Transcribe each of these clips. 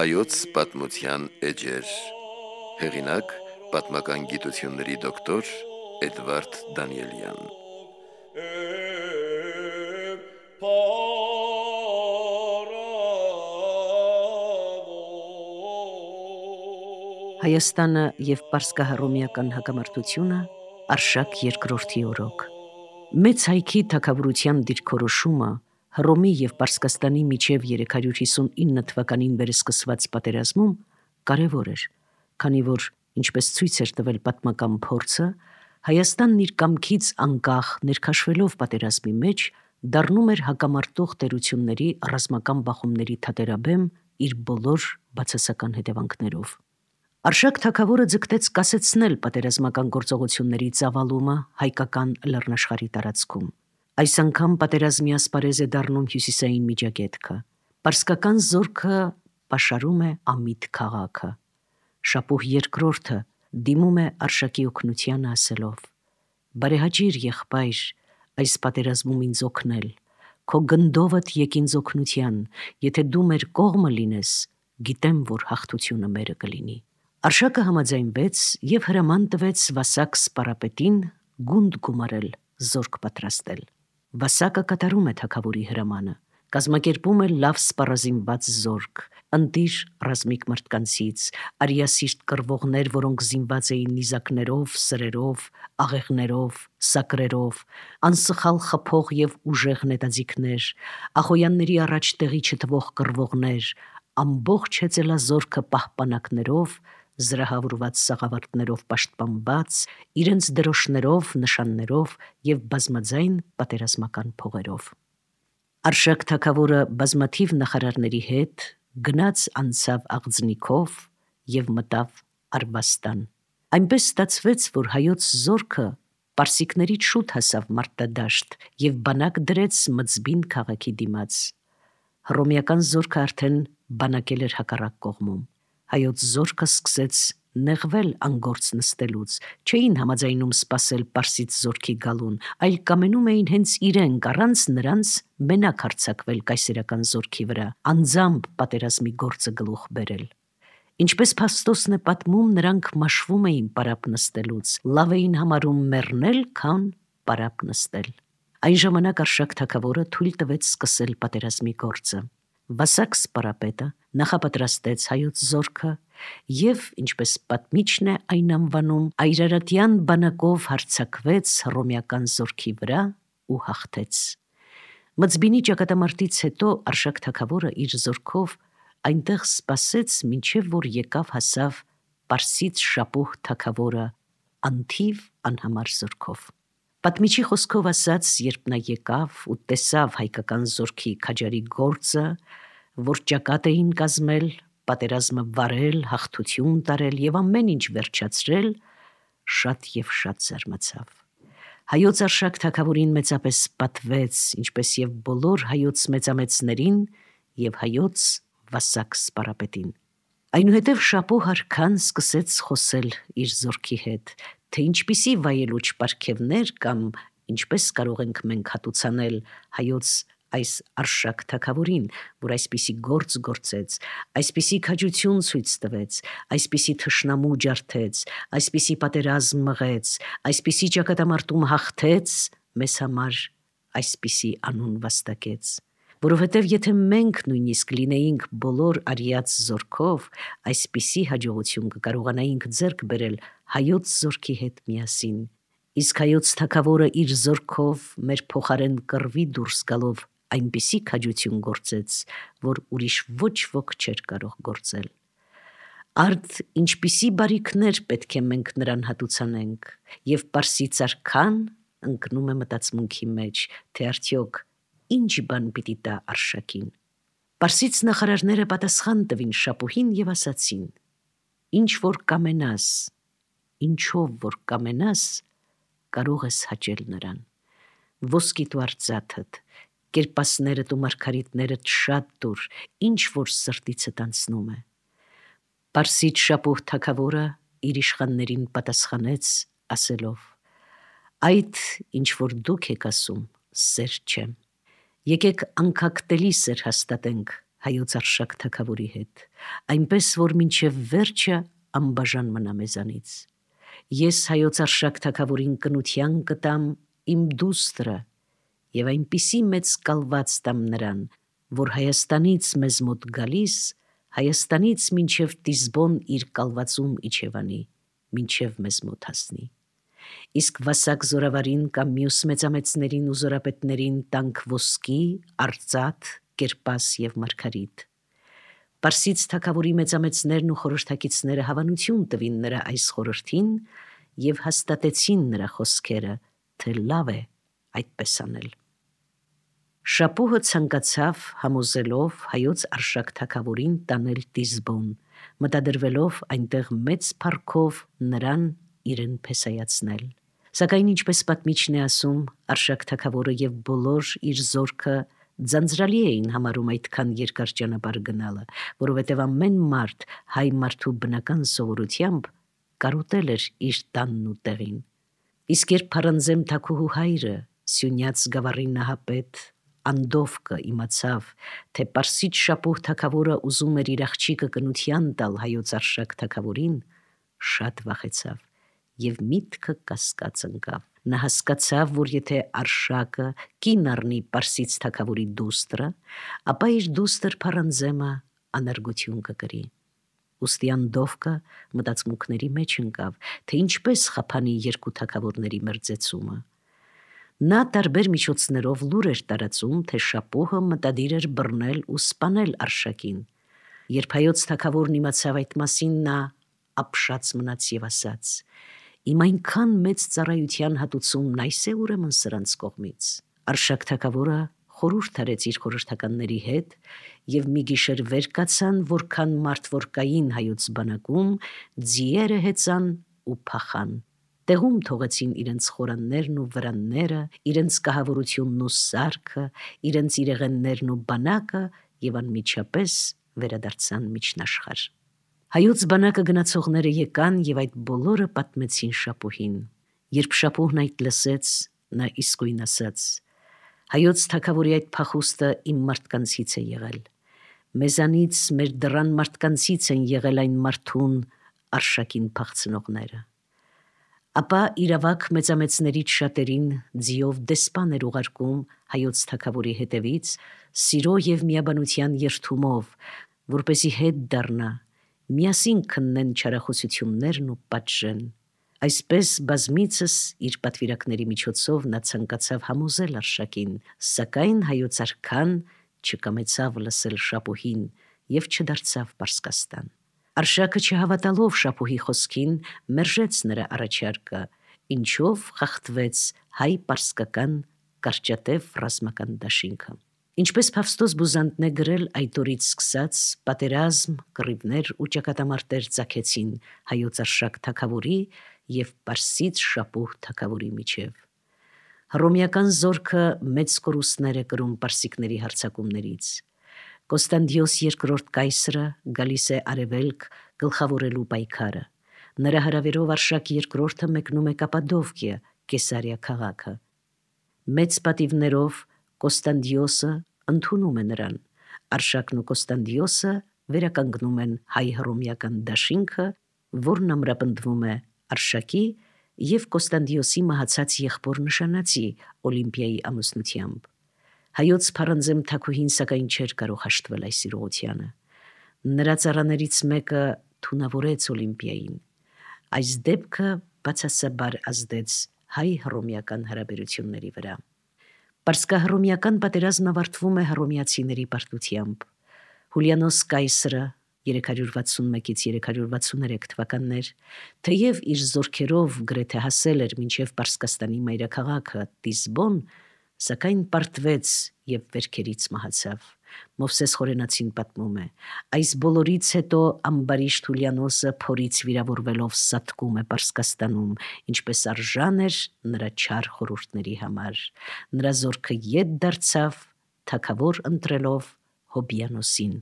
Հայոց պատմության էջեր։ Հեղինակ պատմական գիտությունների դոկտոր Էդվարդ Դանիելյան։ Հայաստանը և պարսկահռոմեական հակամարտությունը Արշակ II օրոք։ Մեծ հայքի թագավորության դիրքորոշումը Հռոմի և Պարսկաստանի միջև 359 թվականին վերսկսված պատերազմում կարևոր էր, քանի որ, ինչպես ցույց էր տվել պատմական փորձը, Հայաստանն իր կամքից անկախ ներքաշվելով պատերազմի մեջ դառնում էր հակամարտող տերությունների ռազմական բախումների թատերաբեմ իր բոլոր բացասական հետևանքներով։ Արշակ թագավորը ձգտեց կասեցնել պատերազմական գործողությունների ծավալումը հայկական լեռնաշխարհի տարածքում։ Այս անգամ պատերազմի ասպարեզ է դառնում հյուսիսային Միջագետքը։ Պարսկական զորքը պաշարում է Ամիդ քաղաքը։ Շապուհ II դիմում է Արշակի օգնությանը ասելով. «Բարեհաճիր, եղբայր, այս պատերազմում ինձ օգնել, քո գնդովդ եկ ինձ օգնության, եթե դու մեր կողմը լինես, գիտեմ, որ հաղթությունը մերը կլինի»։ Արշակը համաձայնվեց և հրաման տվեց Վասակ սպարապետին գունդ գումարել, զորք պատրաստել։ Վասակը կատարում է թագավորի հրամանը, կազմակերպում է լավ սպառազինված զորք, ընտիր ռազմիկ մարդկանցից, արիասիրտ կռվողներ, որոնք զինված էին նիզակներով, սրերով, աղեղներով, սակրերով, անսխալ խփող և ուժեղ նետաձիգներ, ախոյանների առաջ տեղի չտվող կռվողներ, ամբողջ հեծելազորքը պահպանակներով, զրահավորված սաղավարտներով պաշտպանված, իրենց դրոշներով, նշաններով և բազմաձայն պատերազմական փողերով։ Արշակ թագավորը բազմաթիվ նախարարների հետ գնաց անցավ աղձնիքով և մտավ Արվաստան։ Այնպես ստացվեց, որ հայոց զորքը պարսիկներից շուտ հասավ մարտադաշտ և բանակ դրեց Մծբին քաղաքի դիմաց։ Հռոմեական զորքը արդեն բանակել էր հակառակ կողմում։ Հայոց զորքը սկսեց նեղվել անգործ նստելուց, չէին համաձայնում սպասել պարսից զորքի գալուն, այլ կամենում էին հենց իրենք առանց նրանց մենակ հարձակվել կայսերական զորքի վրա, անձամբ պատերազմի գործը գլուխ բերել։ Ինչպես Փաստոսն է պատմում, նրանք մաշվում էին պարապ նստելուց, լավ էին համարում մեռնել, քան պարապ նստել։ Այն ժամանակ Արշակ թագավորը թույլ տվեց սկսել պատերազմի գործը։ Վասակ սպարապետը նախապատրաստեց հայոց զորքը և, ինչպես պատմիչն է այն անվանում, այրարատյան բանակով հարձակվեց հռոմեական զորքի վրա ու հաղթեց։ Մծբինի ճակատամարտից հետո Արշակ թագավորը իր զորքով այնտեղ սպասեց, մինչև որ եկավ հասավ պարսից շապուհ թագավորը անթիվ անհամար զորքով։ Պատմիչի խոսքով ասած, երբ նա եկավ ու տեսավ հայկական զորքի քաջարի գործը, որ ճակատ էին կազմել, պատերազմը վարել, հաղթություն տարել և ամեն ինչ վերջացրել, շատ և շատ զարմացավ։ Հայոց Արշակ թագավորին մեծապես պատվեց, ինչպես և բոլոր հայոց մեծամեծներին և հայոց Վասակ սպարապետին։ Այնուհետև շապուհ արքան սկսեց խոսել իր զորքի հետ, թե ինչպիսի վայելուչ պարգևներ կամ ինչպես կարող ենք մենք հատուցանել հայոց այս Արշակ թագավորին, որ այսպիսի գործ գործեց, այսպիսի քաջություն ցույց տվեց, այսպիսի թշնամու ջարդեց, այսպիսի պատերազմ մղեց, այսպիսի ճակատամարտում հաղթեց, մեզ համար այսպիսի անուն վաստակեց։ Որովհետև եթե մենք նույնիսկ լինեինք բոլոր արիած զորքով, այսպիսի հաջողություն կկարողանայինք ձեռք բերել հայոց զորքի հետ միասին։ Իսկ հայոց թագավորը իր զորքով մեր փոխարեն կռվի դուրս գալով այնպիսի քաջություն գործեց, որ ուրիշ ոչ ոք չէր կարող գործել։ Արդ ինչպիսի բարիքներ պետք է մենք նրան հատուցանենք, և պարսից արքան ընկնում է մտածմունքի մեջ, թե արդյոք ինչ բան պիտի տա Արշակին։ Պարսից նախարարները պատասխան տվին շապուհին և ասացին. «Ինչ որ կամենաս, ինչով որ կամենաս, կարող ես հաճել նրան։ Ոսկիդ ու արծաթդ, կերպասներդ ու մարգարիտներդ շատ տուր, ինչ որ սրտիցդ անցնում է»։ Պարսից շապուհ թագավորը իր իշխաններին պատասխանեց ասելով. «Այդ, ինչ որ դուք եք ասում, սեր չէ։ Եկեք անկակտելի սեր հաստատենք հայոց Արշակ թագավորի հետ, այնպես որ մինչև վերջը անբաժան մնա մեզանից։ Ես հայոց Արշակ թագավորին կնության կտամ իմ դուստրը եւ այնպիսի մեծ կալված տամ նրան, որ Հայաստանից մեզ մոտ գալիս, Հայաստանից մինչև Տիզբոն իր կալվածում իջևանի, մինչև մեզ մոտ հասնի։ Իսկ վասակ զորավարին կամ մյուս մեծամեծներին ու զորապետներին տանք ոսկի, արծաթ, կերպաս եւ մարգարիտ։ Պարսից թագավորի մեծամեծներն ու խորհրդակիցները հավանություն տվին նրա այս խորհրդին եւ հաստատեցին նրա խոսքերը, թե լավ է այդպես անել։ Շապուհը ցանկացավ համոզելով հայոց Արշակ թագավորին տանել Տիզբոն, մտադրվելով այնտեղ մեծ փառքով նրան իրեն փեսայացնել։ Սակայն ինչպես պատմիչն է ասում, Արշակ թագավորը եւ բոլոր իր զորքը ձանձրալի էին համարում այդքան երկար ճանապարհ գնալը, որովհետև ամեն մարդ հայ մարդու բնական սովորությամբ կարոտել էր իր տանն ու տեղին։ Իսկ երբ Փարանձեմ թագուհու հայրը, Սյունյաց գավառի նահապետ Անդովկը իմացավ, թե Պարսից Շապուհ թագավորը ուզում էր իր աղջիկը կնության տալ հայոց Արշակ թագավորին, շատ վախեցավ եւ միտքը կասկած ընկավ։ Նա հասկացավ, որ եթե Արշակը կին առնի Պարսից թագավորի դուստրը, ապա իր դուստր Փարանձեմը անարգություն կկրի։ Ուստի Անդովկը մտածմունքների մեջ ընկավ, թե ինչպես խափանի երկու թագավորների մերձեցումը։ Նա տարբեր միջոցներով լուր էր տարածում, թե Շապուհը մտադիր էր բռնել ու սպանել Արշակին։ Երբ հայոց թագավորն իմացավ այդ մասին, նա ապշած մնաց եւ ասաց. «Իմ այնքան մեծ ծառայության հատուցումն այս է ուրեմն սրանց կողմից»։ Արշակ թագավորը խորհուրդ արեց իր խորհրդականների հետ եւ մի գիշեր վեր կացան, որքան մարդ որ կային հայոց բանակում, ձիերը հեծան ու փախան։ Տեղում թողեցին իրենց խորաններն ու վրանները, իրենց կահավորությունն ու սարքը, իրենց իրեղեններն ու բանակը եւ անմիջապես վերադարձան միջնաշխարհ։ Հայոց բանակը գնացողները եկան եւ այդ բոլորը պատմեցին Շապուհին։ Երբ Շապուհն այդ լսեց, նա իսկույն ասաց. «Հայոց թագավորի այդ փախուստը իմ մարդկանցից է եղել։ Մեզանից մեր դռան մարդկանցից են եղել այն մարդուն Արշակին փախցնողները»։ Ապա իրավակ մեծամեծներից շատերին ձիով դեսպան էր ուղարկում հայոց թագավորի հետևից, սիրո եւ միաբանության երթումով, որպեսի հետ դառնա, միասին քննեն չարախոսություններն ու պատժեն։ Այսպես բազմիցս իր պատվիրակների միջոցով նա ցանկացավ համոզել Արշակին, սակայն հայոց արքան չկամեցավ լսել Շապուհին եւ չդարձավ Պարսկաստան։ Արշակը չհավատալով Շապուհի խոսքին, մերժեց նրա առաջարկը, ինչով խախտվեց հայ-պարսկական կարճատև ռազմական դաշինքը։ Ինչպես Փավստոս Բուզանդն է գրել, այդ օրից սկսած պատերազմ, կռիվներ ու ճակատամարտեր ծագեցին հայոց Արշակ թագավորի եւ Պարսից Շապուհ թագավորի միջև։ Հռոմեական զորքը մեծ կորուստներ է կրում պարսիկների հարձակումներից։ Կոստանդիոս II կայսրը գալիս է արևելք գլխավորելու պայքարը։ Նրա հրավերով Արշակ II մեկնում է Կապադովկիա, Կեսարիա քաղաքը։ Մեծ պատիվներով Կոստանդիոսը ընդունում է նրան։ Արշակն ու Կոստանդիոսը վերականգնում են հայ-հռոմեական դաշինքը, որն ամրապնդվում է Արշակի եւ Կոստանդիոսի մահացած եղբոր նշանածի Օլիմպիայի ամուսնությամբ։ Հայոց Փարանձեմ թագուհին սակայն չէր կարող հաշտվել այս իրողությանը։ Նրա ծառաներից մեկը թունավորեց Օլիմպիային։ Այս դեպքը բացասաբար ազդեց հայ-հռոմեական հարաբերությունների վրա։ Պարսկահռոմեական պատերազմը ավարտվում է հռոմեացիների պարտությամբ։ Հուլիանոս կայսրը 361-363 թվականներ, թեև իր զորքերով գրեթե հասել էր մինչև Պարսկաստանի մայրաքաղաքը Տիզբոն, սակայն պարտվեց եւ վերքերից մահացավ։ Մովսես Խորենացին պատմում է. այս բոլորից հետո ամբարիշտ Հուլիանոսը փորից վիրավորվելով սատկում է Պարսկաստանում, ինչպես արժան էր նրա չար խորհուրդների համար։ Նրա զորքը ետ դարձավ, թագավոր ընտրելով Հոբիանոսին։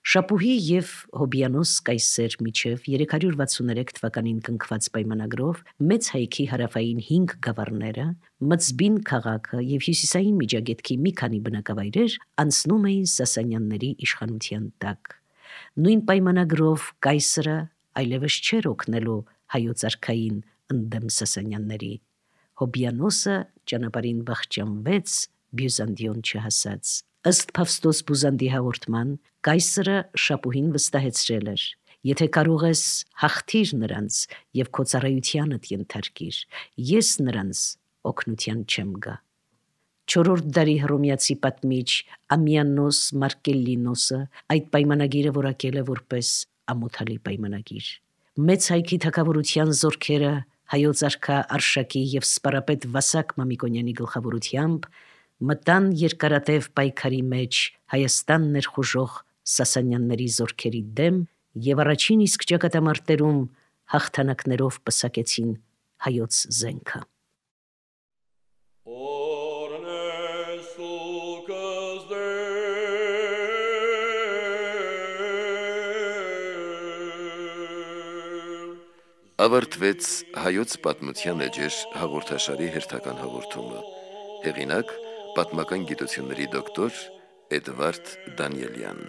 Շապուհի եւ Հոբյանոս կայսեր միջև 363 թվականին կնքված պայմանագրով մեծ հայքի հարավային 5 գավառները, Մծբին քաղաքը եւ հյուսիսային Միջագետքի մի քանի բնակավայրեր անցնում էին Սասանյանների իշխանության տակ։ Նույն պայմանագրով կայսրը այլևս չէր օգնելու հայոց արքային ընդդեմ Սասանյանների։ Հոբյանոսը ճանապարհին վախճանվեց Բյուզանդիոն չհասած։ Ըստ Փավստոս Բուզանդի հաղորդման, կայսրը Շապուհին վստահեցրել էր. «Եթե կարող ես, հաղթիր նրանց եւ քո ծառայությանդ ենթարկիր, ես նրանց օգնության չեմ գա»։ 4-րդ դարի հռոմեացի պատմիչ Ամիանոս Մարկելլինոսը այդ պայմանագիրը որակել է որպես ամոթալի պայմանագիր։ Մեծ հայքի թագավորության զորքերը հայոց արքա Արշակի եւ սպարապետ Վասակ Մամիկոնյանի գլխավորությամբ մտան երկարատև պայքարի մեջ Հայաստան ներխուժող Սասանյանների զորքերի դեմ եւ առաջին իսկ ճակատամարտերում հաղթանակներով պսակեցին հայոց զենքը։ Ավարտվեց հայոց պատմության էջեր հաղորդաշարի հերթական հաղորդումը։ Հեղինակ պատմական գիտությունների դոկտոր Էդվարդ Դանիելյան։